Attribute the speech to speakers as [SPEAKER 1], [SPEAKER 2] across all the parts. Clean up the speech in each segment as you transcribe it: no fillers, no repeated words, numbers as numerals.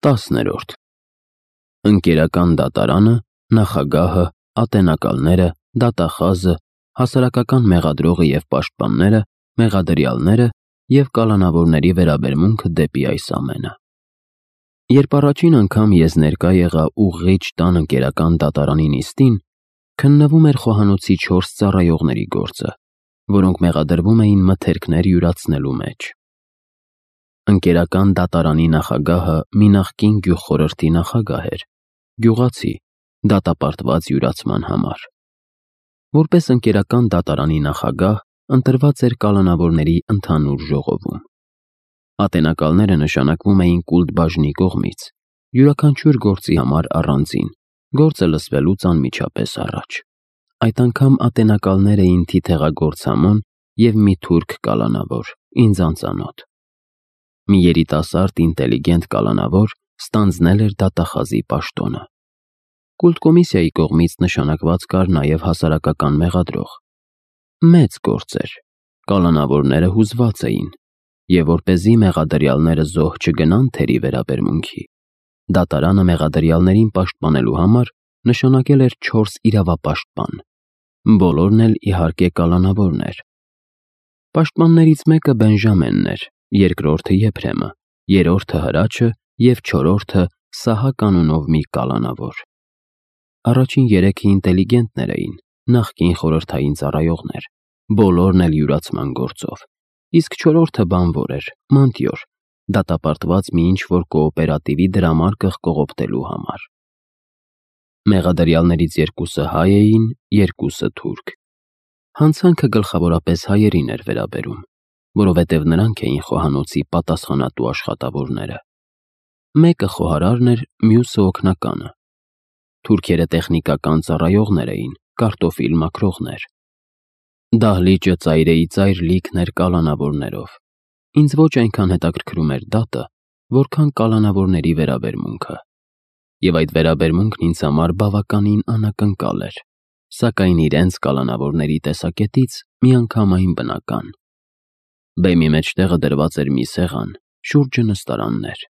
[SPEAKER 1] 10-րդ Ընկերական դատարանը, նախագահը, ատենակալները, դատախազը, հասարակական մեղադրողը և պաշտպանները, մեղադրյալները և կալանավորների վերաբերմունքը դեպի այս ամենը։ Երբ առաջին անգամ ես ներկա եղա ուղղիչ տան ընկերական դատարանի նիստին, քննվում էր խոհանոցի 4 ծառայողների գործը, որոնք մեղադրվում էին մթերքներ յուրացնելու մեջ։ Ընկերական դատարանի նախագահը մի նախկին գյուղխորհրդի նախագահ էր, գյուղացի, դատապարտված յուրացման համար։ Որպես ընկերական դատարանի նախագահ ընտրված էր կալանավորների ընդհանուր ժողովում։ Ատենակալները նշանակվում էին կուլտբաժնի կողմից, յուրաքանչյուր գործի համար առանձին, գործը լսվելուց անմիջապես առաջ։ Այդ անգամ ատենակալներ էին թիթեղագործ Համոն և մի թուրք կալանավոր, ինձ անծանոթ։ Մի երիտասարդ ինտելիգենտ կալանավոր ստանձնել էր դատախազի պաշտոնը։ Կուլտկոմիսիայի կողմից նշանակված կար նաև հասարակական մեղադրող։ Մեծ գործ էր, կալանավորները հուզված էին, և որպեսզի մեղադրյալները զոհ չգնան թերի վերաբերմունքի, դատարանը մեղադրյալներին պաշտպանելու համար նշանակել էր 4 իրավապաշտպան, բոլորն էլ իհարկե կալանավորներ։ Պաշտպաններից մեկը Բենժամենն էր, երկրորդը Եփրեմը, երրորդը Հրաչը և չորրորդը Սահակ անունով մի կալանավոր։ Առաջին 3-ը ինտելիգենտներ էին, նախկին խորհրդային ծառայողներ, բոլորն էլ յուրացման գործով, իսկ չորրորդը բանվոր էր, մանտյոր, դատապարտված մի ինչ-որ կոոպերատիվի դրամարկղ կողոպտելու համար։ Մեղադրյալներից 2-ը հայ էին, 2-ը թուրք։ Հանցանքը գլխավորապես հայերին էր վերաբերում, որովհետև նրանք էին խոհանոցի պատասխանատու աշխատավորները։ Մեկը խոհարարն էր, մյուսը օգնականը։ Թուրքերը տեխնիկական ծառայողներ էին, կարտոֆիլ մաքրողներ։ Դահլիճը ծայրիծայր լիքն էր կալանավորներով։ Ինձ ոչ այնքան հետաքրքրում էր դատը, որքան կալանավորների վերաբերմունքը։ Եվ այդ վերաբերմունքն ինձ համար բավականին անակնկալ էր, սակայն իրենց կալանավորների տեսակետից միանգամայն բնական։ Բեմի մեջտեղը դրված էր մի սեղան, շուրջը նստարաններ։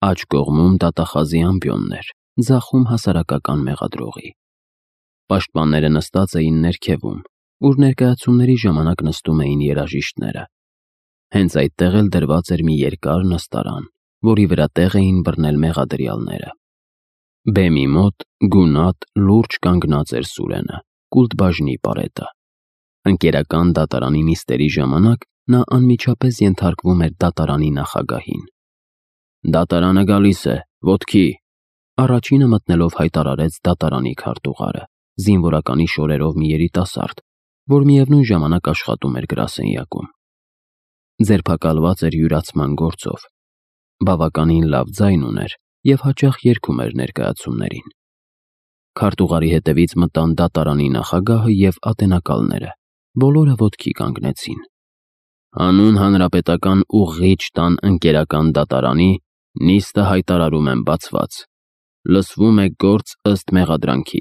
[SPEAKER 1] Աջ կողմում դատախազի ամբիոններ, ձախում հասարակական մեղադրողի։ Պաշտպանները նստած էին ներքևում, ուր ներկայացումների ժամանակ նստում էին երաժիշտները։ Հենց այդտեղ էլ դրված էր մի երկար նստարան, որի վրա տեղ էին բռնել մեղադրյալները։ Բեմի մոտ գունատ, լուրջ կանգնած էր Սուրենը, կուլտբաժնի պարետը։ Ընկերական դատարանի նիստերի ժամանակ նա անմիջապես ենթարկվում էր դատարանի նախագահին։ «Դատարանը գալիս է, ոտքի», առաջինը մտնելով հայտարարեց դատարանի քարտուղարը, զինվորականի շորերով մի երիտասարդ, որ միևնույն ժամանակ աշխատում էր գրասենյակում։ Ձերբակալված էր յուրացման գործով։ Բավականին լավ ձայն ուներ և հաճախ երգում էր ներկայացումներին։ Քարտուղարի հետևից մտան դատարանի նախագահը և ատենակալները, բոլորը ոտքի կանգնեցին։ «Հանուն հանրապետական ուղղիչ տան ընկերական դատարանի նիստը հայտարարում եմ բացված։ Լսվում է գործ ըստ մեղադրանքի»։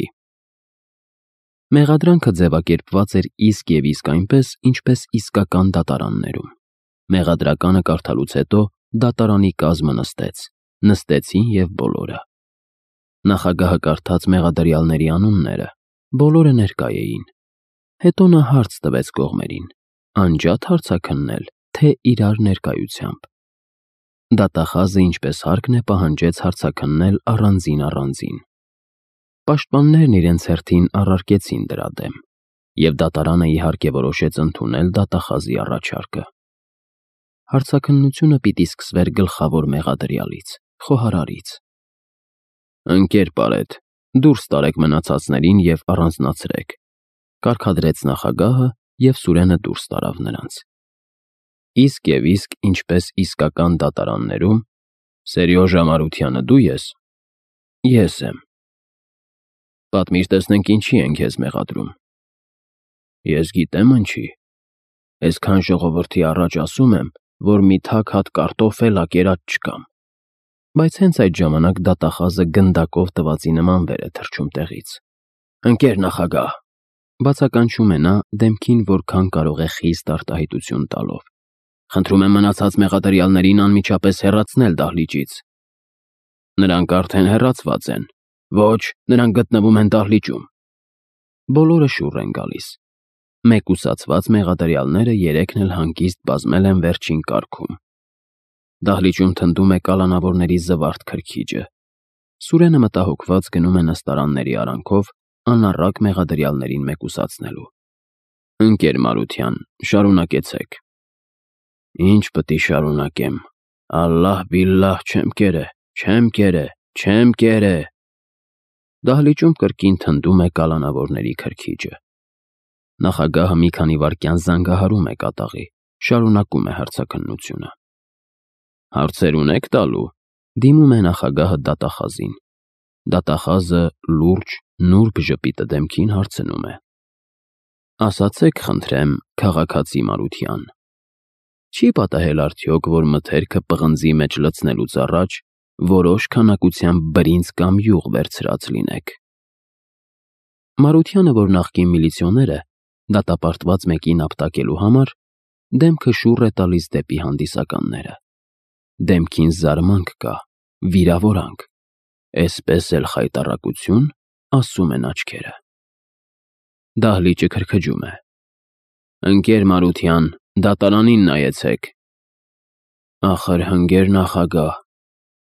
[SPEAKER 1] Մեղադրանքը ձևակերպված էր իսկ և իսկ այնպես, ինչպես իսկական դատարաններում։ Մեղադրականը կարդալուց հետո դատարանի կազմը նստեցին և բոլորը։ Նախագահը կարդաց մեղադրյալների անունները, բոլորը ներկա էին։ Հետո նա հարց տվեց կողմերին. անջա՞տ հարցաքննել, թե իրար ներկայությամբ։ Դատախազը, ինչպես հարկն է, պահանջեց հարցաքննել առանձին։ Պաշտպաններն իրենց հերթին առարկեցին դրա դեմ, և դատարանը իհարկե որոշեց ընդունել դատախազի առաջարկը։ Հարցաքննությունը պիտի սկսվեր գլխավոր մեղադրյալից, խոհարարից։ «Ընկեր Պարետ, դուրս տարեք մնացածներին և առանձնացրեք», կարգադրեց նախագահը, և Սուրենը դուրս տարավ նրանց։ Իսկ և իսկ ինչպես իսկական դատարաններում, Սերյոժա Մարությանը դու ես։ Ես եմ։ Պատմիր տեսնենք ինչի են քեզ մեղադրում։ Ես գիտեմ ինչի։ Այսքան ժողովրդի առաջ ասում եմ, որ մի թակ հատ կարտոֆել ակերած չկամ։ Բայց հենց այդ ժամանակ դատախազը գնդակով տվածի նման վեր է թռչում տեղից։ «Ընկեր նախագահ», բացականչում է նա, դեմքին որքան կարող է խիստ արտահայտություն տալով, «խնդրում եմ մնացած մեղադրյալներին անմիջապես հեռացնել դահլիճից»։ Նրանք արդեն հեռացված են։ Ոչ, նրանք գտնվում են դահլիճում։ Բոլորը շուռ են գալիս։ Մեկուսացված մեղադրյալները երեքն էլ հանգիստ բազմել են վերջին կարգում։ Դահլիճում թնդում է կալանավորների զվարթ քրքիջը։ Սուրենը մտահոգված գնում է նստարանների արանքով, անառակ մեղադրյալներին մեկուսացնելու։ Ընկեր Մարության, շարունակեցեք։ Ինչ պիտի շարունակեմ։ Ալլահ բիլլահ չեմ կերե։ Դահլիճում կրկին թնդում է կալանավորների քրքիջը։ Նախագահը մի քանի վայրկյան զանգահարում է կատաղի, շարունակում է հարցաքննությունը։ Հարցեր ունեք տալու, դիմում է նախագահը դատախազին։ Դատախազը լուրջ, նուրբ ժպիտը դեմքին հարցնում է. Ասացեք, խնդրեմ, քաղաքացի Մարության, չի պատահել արդյոք, որ մթերքը պղնձի մեջ լցնելուց առաջ որոշ քանակությամբ բրինձ կամ յուղ վերցրած լինեք։ Մարությանը, որ նախկին միլիցիոներ է, դատապարտված մեկին ապտակելու համար, դեմքը շուռ է տալիս դեպի հանդիսականները։ Դեմքին զարմանք կա, վիրավորանք, էսպես էլ խայտառակություն, ասում են աչքերը։ Դահլիճը քրքջում է։ Ընկեր Մարության, դատարանին նայեցեք։ Ախր հնգեր նախագահ,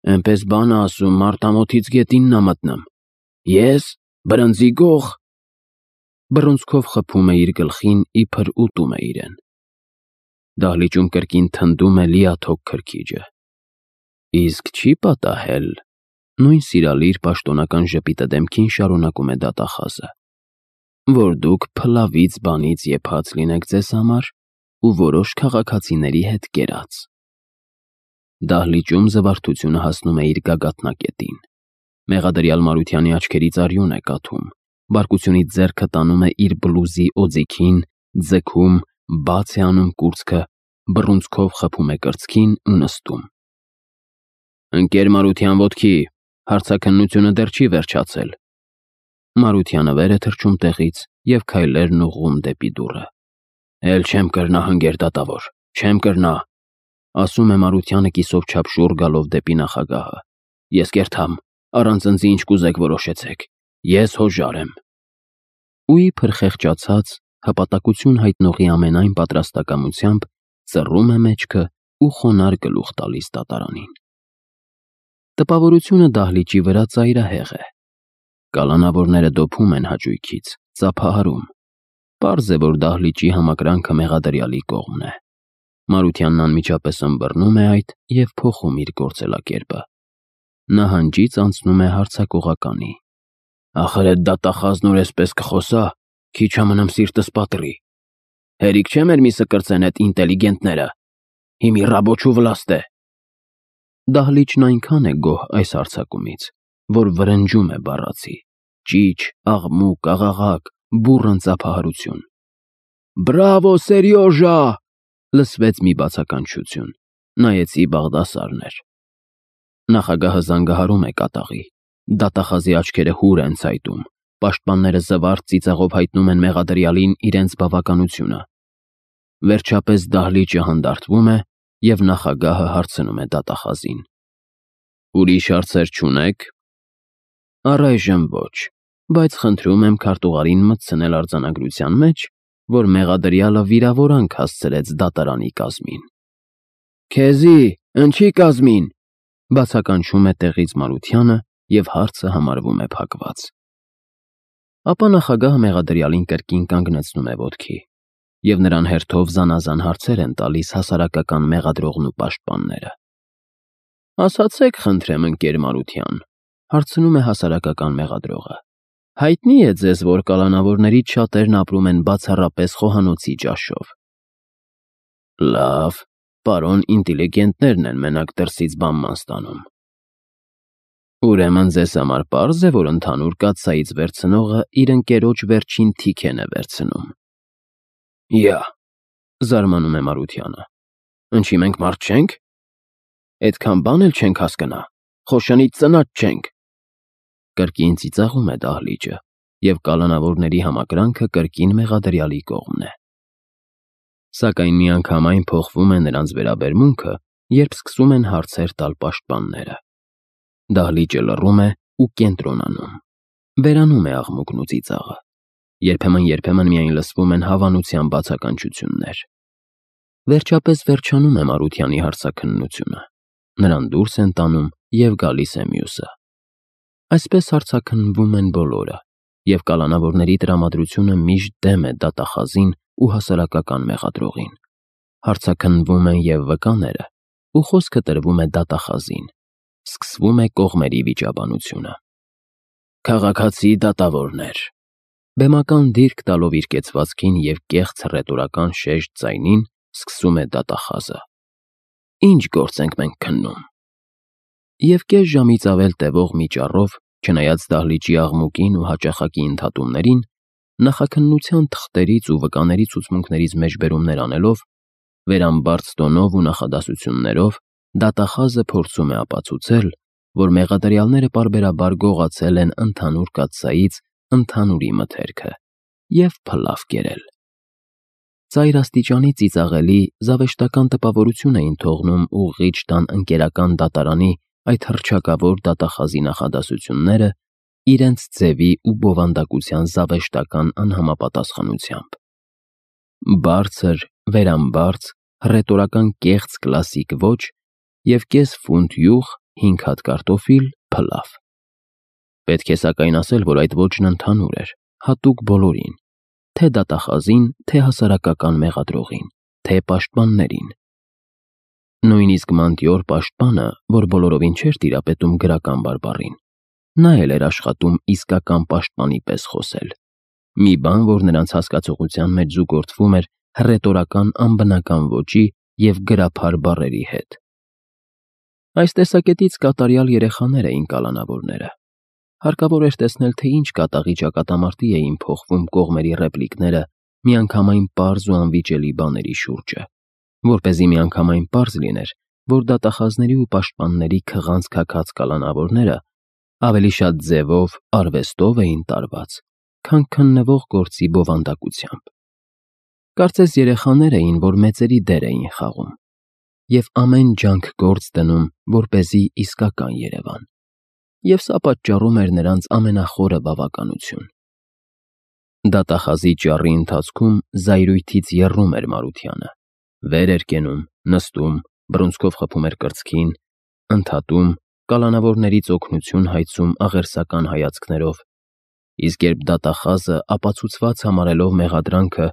[SPEAKER 1] էնպես բան ասում, մարտամոթից գետինն ա մտնում։ Ես, բրնձի գող։ Բռունցքով խփում է իր գլխին, իբր ուտում է իրեն։ Դահլիճում կրկին թնդում է լիաթոք քրքիջը։ Իսկ չի պատահել, նույն սիրալիր պաշտոնական ժպիտը դեմքին շարունակում է դատախազը, որ դուք փլավից բանից եփած լինեք ձեզ համար ու որոշ քաղաքացիների հետ կերած։ Դահլիճում զվարթությունը հասնում է իր գագաթնակետին։ Մեղադրյալ Մարությանի աչքերից արյուն է կաթում, բարկությունից ձեռքը տանում է իր բլուզի օձիքին, ձգում, բաց է անում կուրծքը, բռունցքով խփում է կրծքին ու նստում։ Ընկեր Մարության ոտքի, հարցաքննությունը դեռ չի վերջացել։ Մարությանը վեր է թռչում տեղից և քայլերն ուղղում դեպի դուռը։ Էլ չեմ կրնա, հնգեր դատավոր, չեմ կրնա, ասում է Մարությանը կիսով չափ շուռ գալով դեպի նախագահը։ Ես կերթամ, առանց ընձի ինչ կուզեք որոշեցեք, ես հոժար եմ։ Ու իբր խեղճացած, հպատակություն հայտնողի ամենայն պատրաստակամությամբ ծռում է մեջքը ու խոնարհ գլուխ տալիս դատարանին։ Տպավորությունը դահլիճի վրա ծայրահեղ է։ Կալանավորները դոփում են հաճույքից, ծափահարում։ Պարզ է, որ դահլիճի համակրանքը մեղադրյալի կողմն է։ Մարությանն անմիջապես ըմբռնում է այդ և փոխում իր գործելակերպը։ Նահանջից անցնում է հարձակողականի։ Ախր էդ դատախազն ուր էսպես կխոսա, քիչ ամնամ սիրտս պատռի։ Հերիք չէ մեր միսը կրծեն էդ ինտելիգենտները։ Հիմի ռաբոչու վլաստ է։ Դահլիճն այնքան է գոհ այս հարձակումից, որ վրնջում է բառացի, ճիչ, աղմուկ, աղաղակ, բուռն ծափահարություն։ Բրավո, Սերյոժա, լսվեց մի բացականչություն, նայեցի Բաղդասարն էր։ Նախագահը զանգահարում է կատաղի, դատախազի աչքերը հուր են ցայտում, պաշտպանները զվարթ ծիծաղով հայտնում են մեղադրյալին իրենց բավականությունը։ Վերջապես դահլիճը հանդարտվում է և նախագահը հարցնում է դատախազին. Ուրիշ հարցեր չունեք։ Առայժմ ոչ, բայց խնդրում եմ քարտուղարին մտցնել արձանագրության մեջ, որ մեղադրյալը վիրավորանք հասցրեց դատարանի կազմին։ Քեզի, ընչի կազմին, բացականչում է տեղից Մարությանը և հարցը համարվում է փակված։ Ապա նախագահը մեղադրյալին կրկին կանգնեցնում է ոտքի, և նրան հերթով զանազան հարցեր են տալիս հասարակական մեղադրողն ու պաշտպանները։ Ասացեք, խնդրեմ, ընկեր Մարության, հարցնում է հասարակական մեղադրողը, հայտնի է ձեզ, որ կալանավորներից շատերն ապրում են բացառապես խոհանոցի ճաշով։ Լավ, պարոն ինտելիգենտներն են մենակ դրսից բանման ստանում։ Ուրեմն ձեզ համար պարզ է, որ ընդհանուր կաթսայից վերցնողը իր ընկերոջ վերջին թիքեն է վերցնում։ Յա, զարմանում է Մարությանը, ընչի մենք մարդ չենք։ Էդքան բան էլ չենք հասկնա, խոշանից ծնած չենք։ Կրկին ծիծաղում է դահլիճը, և կալանավորների համակրանքը կրկին մեղադրյալի կողմն է։ Սակայն միանգամայն փոխվում է նրանց վերաբերմունքը, երբ սկսում են հարցեր տալ պաշտպանները։ Դահլիճը լռում է ու կենտրոնանում։ Վերանում է աղմուկն ու ծիծաղը։ Երբեմն միայն լսվում են հավանության բացականչություններ։ Վերջապես վերջանում է Մարությանի հարցաքննությունը։ Նրան դուրս են տանում և գալիս է մյուսը։ Այսպես հարցաքննվում են բոլորը, և կալանավորների տրամադրությունը միշտ դեմ է դատախազին ու հասարակական մեղադրողին։ Հարցաքննվում են և վկաները, ու խոսքը տրվում է դատախազին։ Սկսվում է կողմերի վիճաբանությունը։ Քաղաքացի դատավորներ, բեմական դիրք տալով իր կեցվածքին և կեղծ հռետորական շեշտ ձայնին, սկսում է դատախազը. Ինչ գործ ենք մենք քննում։ Եվ կես ժամից ավել տևող մի ճառով, չնայած դահլիճի աղմուկին ու հաճախակի ընդհատումներին, նախաքննության թղթերից ու վկաների ցուցմունքներից մեջբերումներ անելով, վերամբարձ տոնով ու նախադասություններով դատախազը փորձում է ապացուցել, որ մեղադրյալները պարբերաբար գողացել են ընդհանուր կաթսայից ընդհանուրի մթերքը և փլավ կերել։ Ծայր աստիճանի ծիծաղելի, զավեշտական տպավորություն էին թողնում ուղղիչ տան ընկերական դատարանի այդ հռչակավոր դատախազի նախադասությունները իրենց ձևի ու բովանդակության զավեշտական անհամապատասխանությամբ։ Բարձր, վերամբարձ, հռետորական կեղծ կլասիկ ոճ և կես ֆունտ յուղ, 5 հատ կարտոֆիլ, փլավ։ Պետք է սակայն ասել, որ այդ ոճն ընդհանուր էր, հատուկ բոլորին, թե դատախազին, թե հասարակական մեղադրողին, թե պաշտպաններին։ Նույնիսկ Մանտիոր պաշտպանը, որ բոլորովին չէր տիրապետում գրական բարբառին, նա էլ էր աշխատում իսկական պաշտպանի պես խոսել։ Մի բան, որ նրանց հասկացողության մեջ զուգորդվում էր հռետորական անբնական ոճի և գրափար բառերի հետ։ Այս տեսակետից կատարյալ երեխաներ էին կալանավորները։ Հարկավոր էր տեսնել, թե ինչ կատաղի ճակատամարտի էին փոխվում կողմերի ռեպլիկները միանգամայն պարզ ու անվիճելի բաների շուրջը, որպեսզի միանգամայն պարզ լիներ, որ դատախազների ու պաշտպանների քղանց քաքած կալանավորները ավելի շատ ձևով, արվեստով էին տարված, քան քննվող գործի բովանդակությամբ։ Կարծես երեխաներ էին, որ մեծերի դեր էին խաղում և ամեն ջանք գործ դնում, որպեսզի իսկական երևան, և սա պատճառում էր նրանց ամենախորը բավականություն։ Դատախազի ճառի ընթացքում զայրույթից եռում էր Մարությանը, վեր էր կենում, նստում, բռունցքով խփում էր կրծքին, ընդհատում, կալանավորներից օգնություն հայցում աղերսական հայացքներով, իսկ երբ դատախազը ապացուցված համարելով մեղադրանքը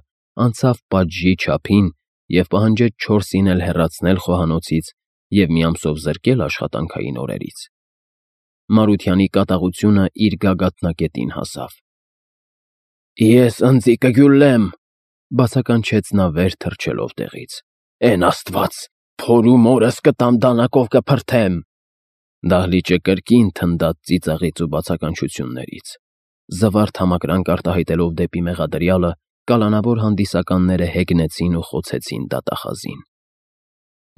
[SPEAKER 1] անցավ պատժի չափին և պահանջեց 4-ին էլ հեռացնել խոհանոցից և մի ամսով զրկել աշխատանքային օրերից, Մարությանի կատաղությունը իր գագաթնակետին հասավ։ «Ես ընձի կգյուլեմ», բացականչեց նա վեր թռչելով տեղից։ «Էն Աստված, փորու մորս կտամ դանակով կփրթեմ»։ Դահլիճը կրկին թնդաց ծիծաղից ու բացականչություններից։ Զվարթ համակրանք արտահայտելով դեպի մեղադրյալը, կալանավոր հանդիսականները հեգնեցին ու խոցեցին դատախազին։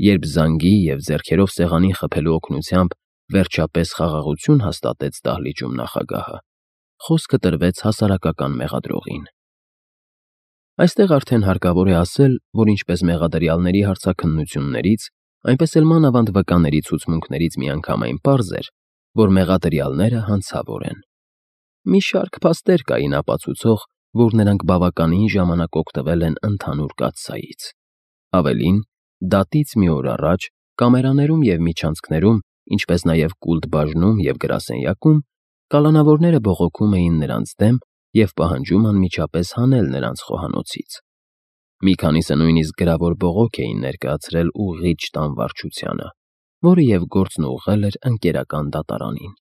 [SPEAKER 1] Երբ զանգի և ձեռքերով սեղանին խփելու օգնությամբ վերջապես խաղաղություն հաստատեց դահլիճում նախագահը, խոսքը տրվեց հասարակական մեղադրողին։ Այստեղ արդեն հարկավոր է ասել, որ ինչպես մեղադրյալների հարցաքննություններից, այնպես էլ մանավանդ վկաների ցուցմունքներից միանգամայն պարզ էր, որ մեղադրյալները հանցավոր են։ Մի շարք փաստեր կային ապացուցող, որ նրանք բավականին ժամանակ օգտվել են ընդհանուր կաթսայից։ Ավելին, դատից մի օր առաջ կամերաներում և միջանցքներում, ինչպես նաև կուլտ բաժնում և գրասենյակում, կալանավորները բողոքում էին նրանց դեմ և պահանջում անմիջապես հանել նրանց խոհանոցից։ Մի քանիսը նույնիսկ գրավոր բողոք էին ներկայացրել ուղղիչ տան վարչությանը, որը և գործն ուղղել էր ընկերական դատարանին։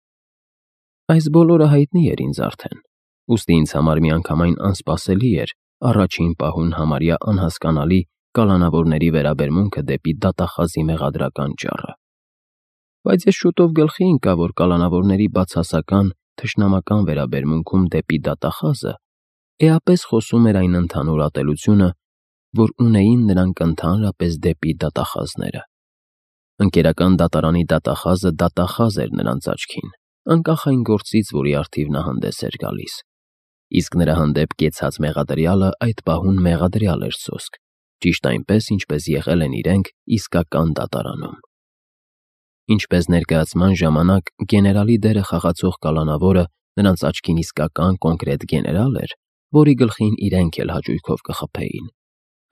[SPEAKER 1] Այս բոլորը հայտնի էր ինձ արդեն, ուստի ինձ համար միանգամայն անսպասելի էր առաջին պահուն համարյա անհասկանալի կալանավորների վերաբերմունքը դեպի դատախազի մեղադրական ճառը։ Բայց ես շուտով գլխի ընկա, որ կալանավորների բացասական, թշնամական վերաբերմունքում դեպի դատախազը էապես խոսում էր այն ընդհանուր ատելությունը, որ ունեին նրանք ընդհանրապես դեպի դատախազները։ Ընկերական դատարանի դատախազը դատախազ էր նրանց աչքին, անկախ այն գործից, որի առթիվ նա հանդես էր գալիս, իսկ նրա հանդեպ կեցած մեղադրյալը այդ պահուն մեղադրյալ էր սոսկ, ճիշտ այնպես, ինչպես եղել են իրենք իսկական դատարանում։ Ինչպես ներկայացման ժամանակ գեներալի դերը խաղացող կալանավորը նրանց աչքին իսկական կոնկրետ գեներալ էր, որի գլխին իրենք էլ հաճույքով կխփեին,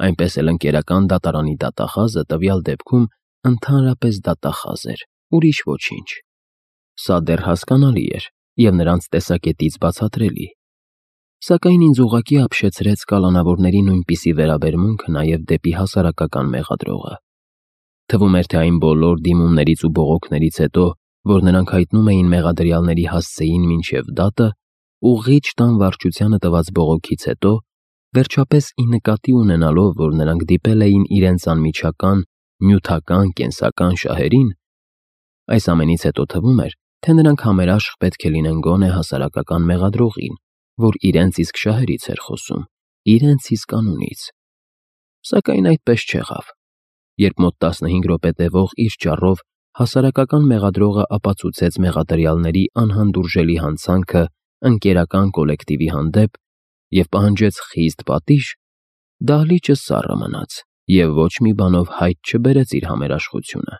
[SPEAKER 1] այնպես էլ ընկերական դատարանի դատախազը տվյալ դեպքում ընդհանրապես դատախազ էր, ուրիշ ոչինչ։ Սա դեռ հասկանալի էր և նրանց տեսակետից բացատրելի։ Սակայն ինձ ուղղակի ապշեցրեց կալանավորների նույնպիսի վերաբերմունքը նաև դեպի հասարակական մեղադրողը։ Թվում էր, թե այն բոլոր դիմումներից ու բողոքներից հետո, որ նրանք հայտնում էին մեղադրյալների հասցեին մինչև դատը, ուղղիչ տան վարչությանը տված բողոքից հետո, վերջապես ի նկատի ունենալով, որ նրանք դիպել էին իրենց անմիջական, նյութական, կենսական շահերին, այս ամենից հետո թվում էր, թե նրանք համերաշխ պետք է լինեն գոնե հասարակական մեղադրողին, որ իրենց իսկ շահերից էր խոսում, իրենց իսկ անունից։ Սակայն այդպես չեղավ։ Երբ մոտ 15 րոպե տևող իր ճառով հասարակական մեղադրողը ապացուցեց մեղադրյալների անհանդուրժելի հանցանքը ընկերական կոլեկտիվի հանդեպ և պահանջեց խիստ պատիժ, դահլիճը սառը մնաց և ոչ մի բանով հայտ չբերեց իր համերաշխությունը։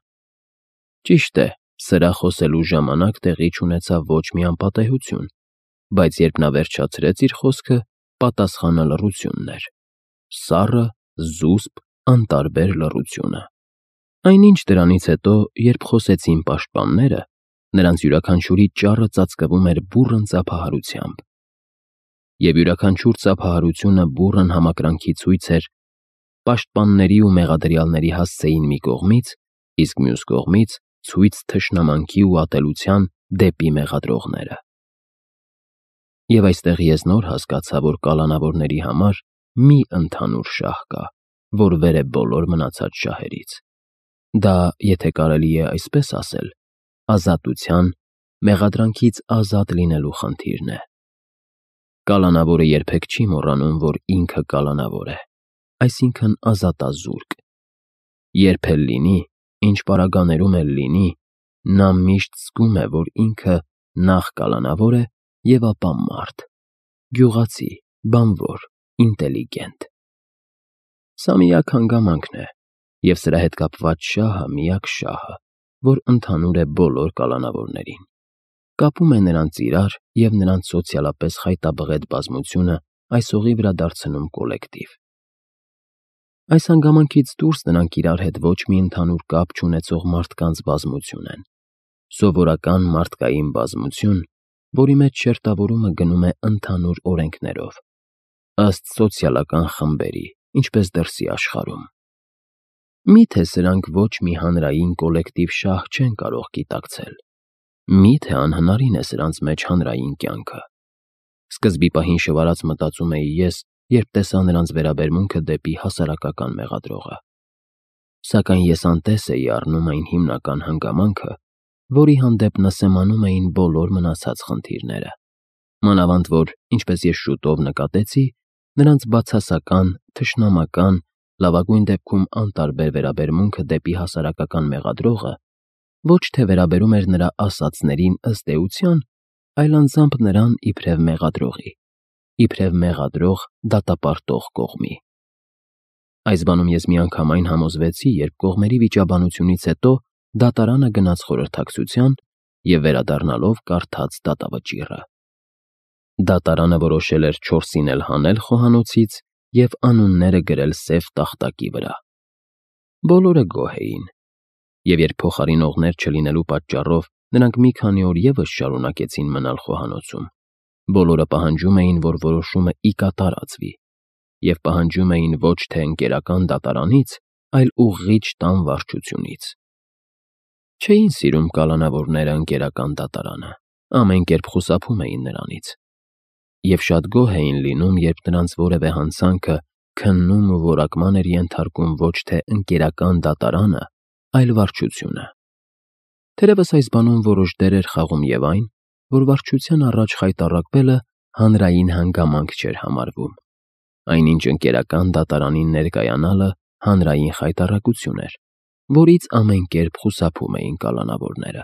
[SPEAKER 1] Ճիշտ է, սրա խոսելու ժամանակ տեղի չունեցավ ոչ մի անպատեհություն, բայց երբ նա վերջացրեց իր խոսքը, պատասխանը լռությունն էր, սառը, զուսպ, անտարբեր լռությունը։ Այնինչ դրանից հետո, երբ խոսեցին պաշտպանները, նրանց յուրաքանչյուրի ճառը ծածկվում էր բուռն ծափահարությամբ։ Եվ յուրաքանչյուր ծափահարությունը բուռն համակրանքի ցույց էր պաշտպանների ու մեղադրյալների հասցեին մի կողմից, իսկ մյուս կողմից ցույց թշնամանքի ու ատելության դեպի մեղադրողները։ Եվ այստեղ ես նոր հասկացա, որ կալանավորների համար մի ընդհանուր շահ կա, որ վեր է բոլոր մնացած շահերից։ Դա, եթե կարելի է այսպես ասել, ազատության, մեղադրանքից ազատ լինելու խնդիրն է։ Կալանավորը երբեք չի մոռանում, որ ինքը կալանավոր է, այսինքն ազատազուրկ։ Երբ էլ լինի, ինչ պարագաներում էլ լինի, նա միշտ զգում է, որ ինքը նախ կալանավոր է և ապա մարդ, գյուղացի, բանվոր, ինտելիգենտ։ Սա միակ հանգամանքն է, և սրա հետ կապված շահը միակ շահը, որ ընդհանուր է բոլոր կալանավորներին, կապում է նրանց իրար և նրանց սոցիալապես խայտաբղետ բազմությունը այսօղի վրա դարձնում կոլեկտիվ։ Այս հանգամանքից դուրս նրանք իրար հետ ոչ մի ընդհանուր կապ չունեցող մարդկանց բազմություն են, սովորական մարդկային բազմություն, որի մեջ շերտավորումը գնում է ընդհանուր օրենքներով, ըստ սոցիալական խմբերի, ինչպես դրսի աշխարհում։ Միթե սրանք ոչ մի հանրային կոլեկտիվ շահ չեն կարող գիտակցել։ Միթե անհնարին է սրանց մեջ հանրային կյանքը։ Սկզբի պահին շվարած մտածում էի ես, երբ տեսա նրանց վերաբերմունքը դեպի հասարակական մեղադրողը։ Սակայն ես անտես էի առնում այն հիմնական հանգամանքը, որի հանդեպ նսեմանում էին բոլոր մնացած խնդիրները։ Մանավանդ որ, ինչպես ես շուտով նկատեցի, նրանց բացասական, թշնամական, լավագույն դեպքում անտարբեր վերաբերմունքը դեպի հասարակական մեղադրողը ոչ թե վերաբերում էր նրա ասածներին ըստ էության, այլ անձամբ նրան իբրև մեղադրողի, իբրև մեղադրող դատապարտող կողմի։ Այս բանում ես միանգամայն համոզվեցի, երբ կողմերի վիճաբանությունից հետո դատարանը գնաց խորհրդակցության և վերադառնալով կարդաց դատավճիռը։ Դատարանը որոշել էր 4-ին էլ հանել խոհանոցից և անունները գրել սև տախտակի վրա։ Բոլորը գոհ էին, և երբ փոխարինողներ չլինելու պատճառով նրանք մի քանի օր ևս շարունակեցին մնալ խոհանոցում, բոլորը պահանջում էին, որ որոշումը ի կատարածվի, և պահանջում էին ոչ թե ընկերական դատարանից, այլ ուղղիչ տան վարչությունից։ Չէին սիրում կալանավորները ընկերական դատարանը, ամեն կերպ խուսափում էին նրանից, և շատ գոհ էին լինում, երբ նրանց որևէ հանցանքը քննում ու որակման էր ենթարկում ոչ թե ընկերական դատարանը, այլ վարչությունը։ Թերևս այս բանում որոշ դեր էր խաղում և այն, որ վարչության առաջ խայտառակվելը հանրային հանգամանք չէր համարվում, այնինչ ընկերական դատարանին ներկայանալը հանրային խայտառակություն էր, որից ամեն կերպ խուսափում էին կալանավորները։